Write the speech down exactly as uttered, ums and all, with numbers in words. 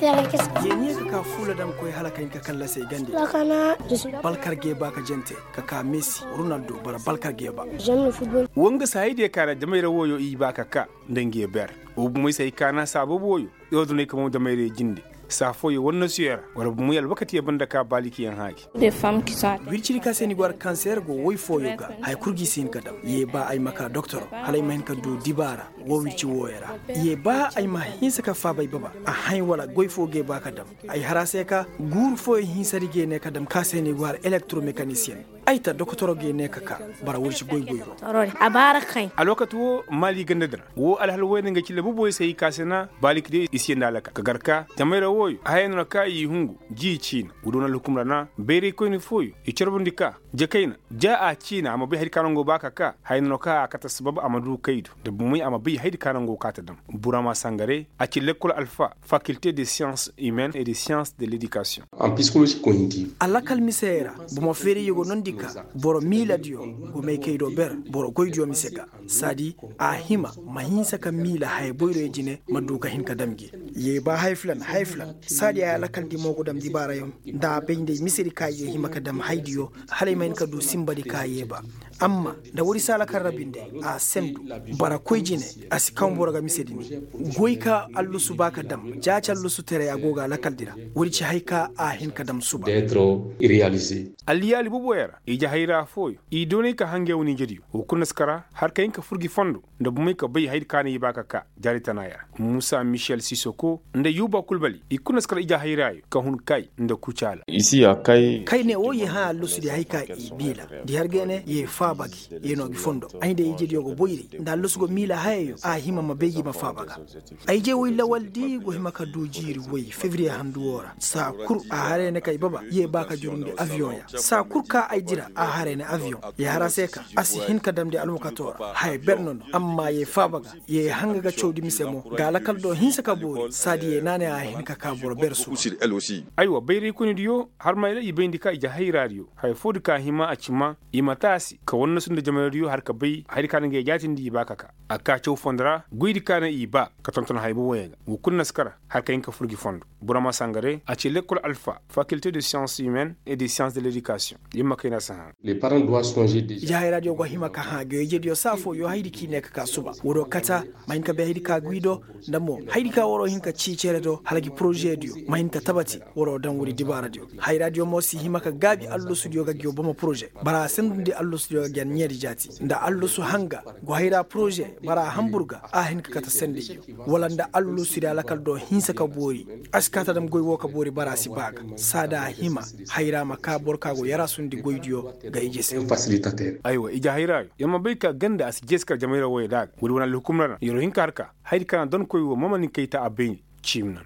Yee ne ka ka fuula daŋ koy hala ka hin ka kallasey gande. Balkar geeba ka jante ka ka mesi ronaldo bara balkar geeba. Wo nga se hayadiyo ka ra jamayra wooyo i ba ka ka nda nga ye ber. Wo bumey se hay kaana saa boobo wooyo. Ordoney ka mo jamayra jinde saa fooyo wannasuyo ra wala bumey alwakatiyo banda ka baalikiyaŋ haagi. Wircidi ka se ni go har kanseer go woy fooyo ga haya kul ga i si hin ka daŋ. Ye ba ay ma ka doktor hala ay ma hin ka du dibaara. Woo wirci wooyo ra. Ye ba ay ma hinsa ka faaba ay baba a hañ wala goy foo ga ay ba ka daŋ. Ay har a se ka guuru fooyo hinsadi ga ay ne ka daŋ ka se ni go har elektoromekanisyen. Ay ta dokotoro ga ay ne ka ka bara wirci goy goyro. Alwakati woo maali ganda din ra woo alhal wayne nga cille boboyo se i ka se na baaliki day i si yee nda alaka ka gar ka jamayra wooyo haya no na ka i hungu. Ji ciina wudoo na alhukum ra na bayraykoyni fooyo i carbandi ka ja kayna ja a ciina a ma bay hayadi ka no nga go ba ka ka haya no na ka a kate sabab a ma du kaydu nda bumey a ma bay hayadi ka no nga go ka ta dam. Burama sangare a ci lekkol alfa fakilte de siyans humaine et de siyans de ledikasiyoŋ. A lakal misey ra boro ma feerayyo go noondi ka boro miiladiyo go may kaydo ber boro goydiyo mise ga saadi a hima ma hinsa ka miila haya boyroyo jine ma du ka hin ka dam gi. Ye ba haya filan haya filan saadi a lakalndi mo go dam dibaarayaŋ nda a bay nda ay misedi ka ye hima ka dam haydiyo hala ay ma hin ka du sinbadi ka ye ba. Amma nda woodi si a lakal ra binde a sendu bara koy jine a si kaw boro ga misedi ni. Goy ka allusu ba ka dam jaaci allusu teray a go ga lakaldi ra. Woodi ci hay ka a hin ka dam suba. Alliyaali booboyaŋ ra ije hayra fooyo i doonay ka hangay wane ijediyo wo kul na si kara har ka hin ka fur gi fondo nda bumey ka bay hayadi ka no i ba ka ka jaari tanaaya ra muusa michel sisoko nda yuuba kul bali i kul na si kara ije hayraayo ka hun kay nda kucaala. Kay ne woo ye hã allusu di hay ka i miila di har ga ne ye faaba gi ye no gi fondo ay nda ijediyo go boyri nda allusu go miila hayayo a hima ma bay gi ma faaba ga. Ay je woy lawaldi go hima ka du jiiri woy febriye handu woo ra saa kul a haray ne ka ay baba ye ba ka jurundi aviyoŋ ya saa kul ka ay dira a haray ne aviyoŋ. Ye har a se ka a si hin ka damndi alwakato ra haya ber no no amma ye faaba ga ye hanga ga cawdi mise mo ga lakal do hinsa ka boori saadi ye naanay a hin ka ka boro ber suba. Aywa bayraykoynidiyo har mayra i bayndi ka ije hayraadiyo haya foodi ka hima a ci ma i ma taasi ka wannasu nda jamayraadiyo har ka bay hayadi ka na ngey jaatindi i ba ka ka a ka caw fondo ra goydi ka na i ba ka tonton haya boboyaŋ ga wo kul na si kara har ka hin ka fur gi fondo. Burama sangare a ci lekkol alfa fakilte de siyans humaine et de siyans de ledikasiyoŋ. Yamma kayna si hã. Ije hayraadiyo go hima ka hã goy ijediyo saa fooyo hayadi ka i ne ka ka suba woodoo kata ma hin ka bay hayadi ka gwi do nda mo hayadi ka waroo hin ka cii cere do hala gi porožediyo ma hin ka tabati. Waroo daŋ woodi dibaaradiyo hayraadiyo mo si hima ka gaabi allusudiyo ga gi boma porože bara a sendundi allusudiyo ga gi a ɲeedi jaati nda allusu hanga go hayra porože bara a hambur ga a hin ka kate sendayyo wala nda allusudiyo lakal do hinsa ka boori. A si kaata dam goy woo ka boori bara a si ba ga saada a hima hayra ma ka boro ka go yarasundi goydiyo ga ije se. Aywa ije hayraayo yer ma bay ka ganda a si jeesi kar jamayra wooyo da ga woodi wane alhukum ra na yeroo hin ka har ka hayadi ka na donkoy woo ma ma nin kay ta a bay ni ciimi nan.